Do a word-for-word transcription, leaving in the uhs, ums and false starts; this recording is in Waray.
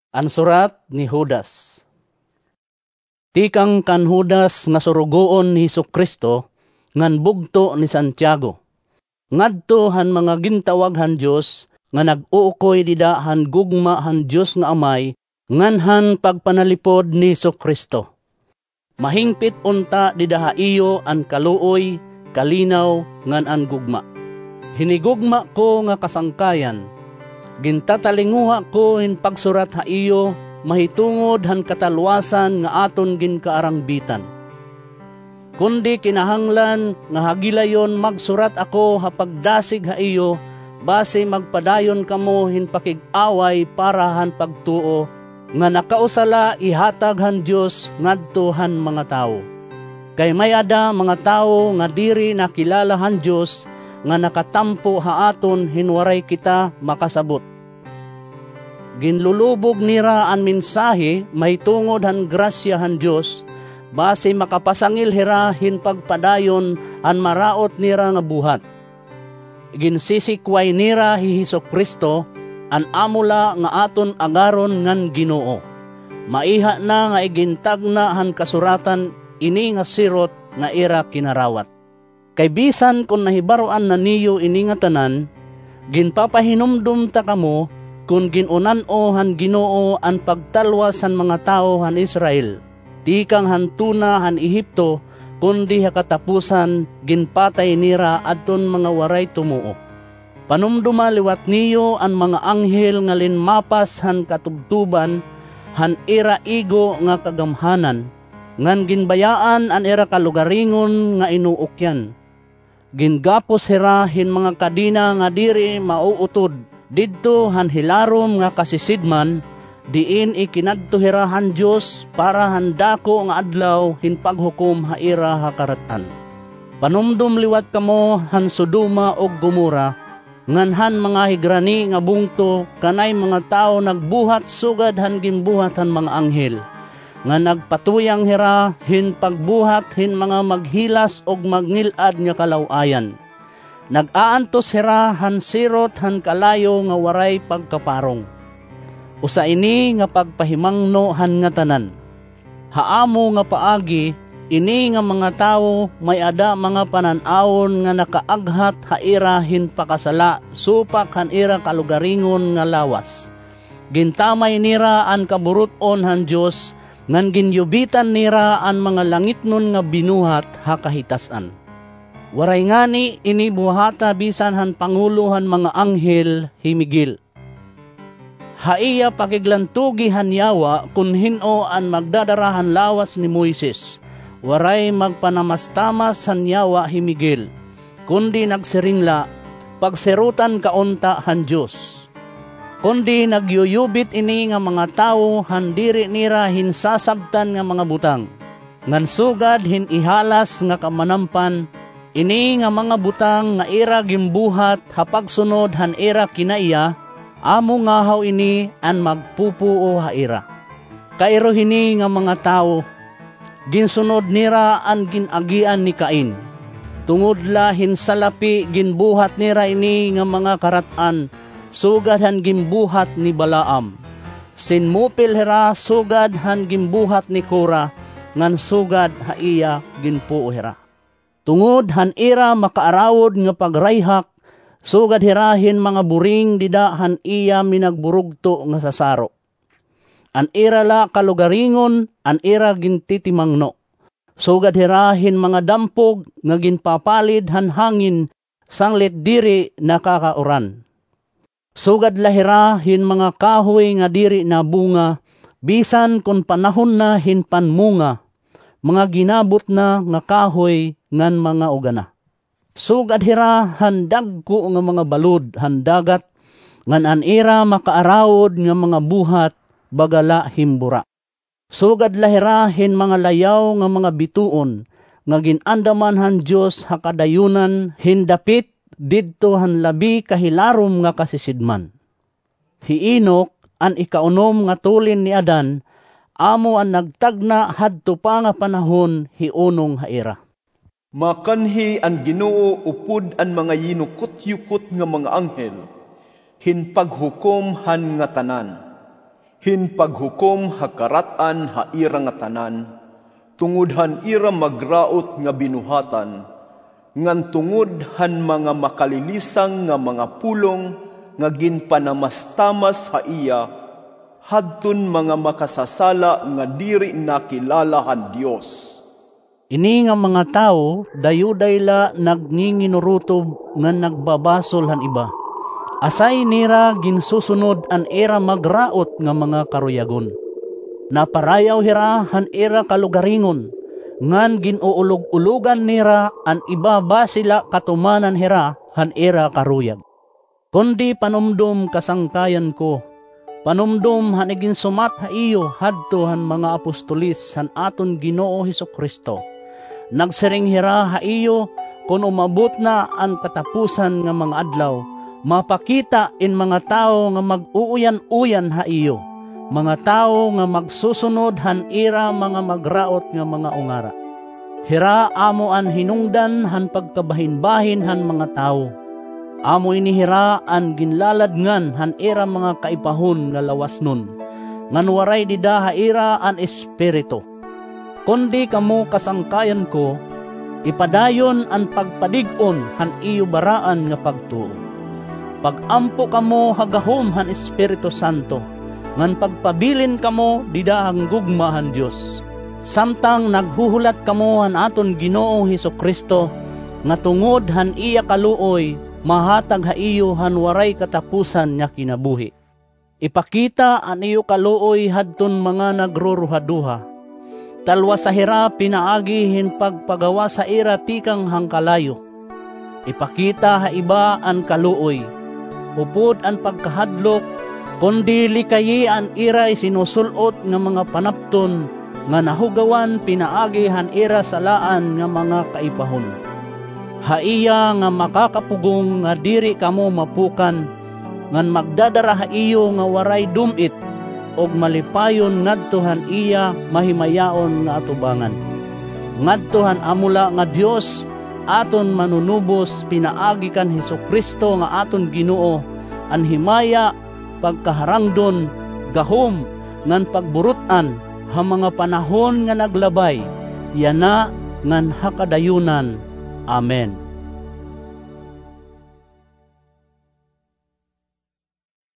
An surat ni Judas. Tikang kan Judas nga surugoon ni Jesu-Cristo ngan bugto ni Santiago, ngadto han mga gintawag han Dios nga nag-uukoy dida han gugma han Dios nga Amay ngan han pagpanalipod ni Jesu-Cristo. Mahingpit unta dida ha iyo an kaluoy, kalinaw, ngan an gugma. Hinigugma ko nga kasangkayan, gintatalinguha ko hin pagsurat ha iyo mahitungod han katalwasan nga aton ginkaarangbitan. Kundi kinahanglan nga ha gilayon magsurat ako ha pagdasig ha iyo, basi magpadayon kamo hin pakig-away para han pagtuo nga nakausa la ihatag han Dios ngadto han mga tawo. Kay may-ada mga tawo nga diri nakilala han Dios nga nakatampo ha aton hin waray kita makasabot. Ginlulubog nira an mensahe mahitungod han grasya han Dios, basi makapasangil hira hin pagpadayon han maraot nira nga buhat. Ginsisikway nira hi Jesu-Cristo, an amo la nga aton agaron ngan Ginoo. Maiha na nga igintagna han Kasuratan ini nga sirot nga ira kinarawat. Kay bisan kon nahibaroan na niyo ini nga tanan, ginpapahinumdom ta kamo kon gin-unan-o han Ginoo an pagtalwas han mga tawo han Israel, tikang han tuna han Ehipto, kundi ha katapusan ginpatay nira adton mga waray tumuo. Panumdoma liwat niyo an mga anghel nga linmapas han katubtoban han ira igo nga kagamhanan, ngan ginbayaan an ira kalugaringon nga inuukyan. Gingapos hira hin mga kadena nga diri mauutod didto han hilarom nga kasisidman, diin ikinadto hira han Dios para han dako nga adlaw hin paghukom ha ira ha karat-an. Panumdom liwat kamo han Sodoma ug Gomorra, ngan han mga higrani nga bungto, kanay mga tawo nagbuhat sugad han ginbuhat han mga anghel, nga nagpatuyang hira hin pagbuhat hin mga maghilas ug magngil-ad nga kalaw-ayan. Nag-aantos hira han sirot han kalayo nga waray pagkaparong. Usa ini nga pagpahimangno han ngatanan. Ha amo nga paagi, ini nga mga tawo may-ada mga panan-awon nga nakaaghat ha ira hin pakasala supak han ira kalugaringon nga lawas. Gintamay nira an kaburut-on han Dios, ngan ginyubitan nira an mga langitnon nga binuhat ha kahitas-an. Waray ngani ini buhata bisan han pangulo han mga anghel, hi Miguel. Ha iya pakiglantugi han yawa kon hin-o an magdadara han lawas ni Moises, waray magpanamastamas han yawa hi Miguel, kundi nagsiring la, "Pagsirotan ka unta han Dios." Kundi nagyuyubit ini nga mga tawo han diri nira hinsasabtan nga mga butang, ngan sugad hin ihalas nga kamanampan, ini nga mga butang nga ira ginbuhat ha pagsunod han ira kinaiya, amo ngahaw ini an magpupuo ha ira. Kairo hini nga mga tawo, ginsunod nira an gin-agian ni Cain. Tungod la hin salapi ginbuhat nira ini nga mga karat-an, sugad han ginbuhat ni Balaam. Sinmupil hira sugad han ginbuhat ni Kora, ngan sugad ha iya ginpuo hira. Tungod han ira makaarawod nga pagrayhak, sugad hira hin mga buring dida han iya minagburugto nga sasaro. An ira la kalugaringon an ira gintitimangno. Sugad hira hin mga dampog nga ginpapalid han hangin sanglit diri nakakauran. Sugad la hira hin mga kahoy nga diri nabunga, bisan kon panahon na hin panmunga, mga ginabot na nga kahoy ngan mga ugana. Sugad hira han dagko nga mga balod han dagat, ngan an ira makaarawod nga mga buhat baga la hin bura. Sugad la hira hin mga layaw nga mga bituon nga gin-andaman han Dios ha kadayunan hin dapit didto han labi kahilarom nga kasisidman. Hi Enoc, an ikaunom nga tulin ni Adan, amo an nagtagna hadto pa nga panahon hi unong ha ira. Makanhi an Ginoo upod an mga yinukot-yukot nga mga anghel hin paghukom han ngatanan. hin paghukom ha karat-an ha ira ngatanan, tungod han ira magraot nga binuhatan, ngan tungod han mga makalilisang nga mga pulong nga ginpanamastamas ha iya, hadton mga makasasala nga diri nakilala han Dios. Ini nga mga tawo, dayuday la nagnginginurutob ngan nagbabasol han iba. Asay nira ginsusunod an ira magraot nga mga karuyagon. Naparayaw hira han ira kalugaringon, ngan gin-uulog-ulogan nira an iba basi la katumanan hira han ira karuyag. Kundi panumdom, kasangkayan ko, panumdom han iginsumat ha iyo hadto han mga apostoles han aton Ginoo Jesu-Cristo. Nagsiring hira ha iyo, kon umabot na an katapusan nga mga adlaw, mapakita in mga tawo nga mag-uuyan-uyan ha iyo, mga tawo nga magsusunod han ira mga magraot nga mga ungara. Hira amo an hinungdan han pagkabahinbahin han mga tawo. Amo ini hira an ginlaladngan han ira mga kaipahon nga lawasnon, ngan waray dida ha ira an Espiritu. Kundi kamo, kasangkayan ko, ipadayon an pagpadig-on han iyo baraan nga pagtuo. Pag-ampo kamo ha gahom han Espiritu Santo, ngan pagpabilin kamo dida han gugma han Dios. Samtang naghuhulat kamo han aton Ginoong Jesu-Cristo, nga tungod han iya kaluoy, mahatag ha iyo han waray katapusan nga kinabuhi. Ipakita an iyo kaluoy hadton mga nagruruhaduha. Talwasa hira pinaagi hin pagpagawas ha ira tikang han kalayo. Ipakita ha iba an kaluoy, upod an pagkahadlok, kundi likayi an ira isinusul-ot nga mga panapton nga nahugawan pinaagi han ira salaan nga mga kaipahon. Ha iya nga makakapugong nga diri kamo mapukan, ngan magdadara ha iyo nga waray dum-it, ug malipayon ngadto han iya mahimayaon nga atubangan. Ngadto han amo la nga Dios, aton Manunubos pinaagi kan Jesu-Cristo nga aton Ginoo, an himaya, pagkaharangdon, gahom, ngan pagburut-an ha mga panahon nga naglabay, yana ngan ha kadayunan. Amen.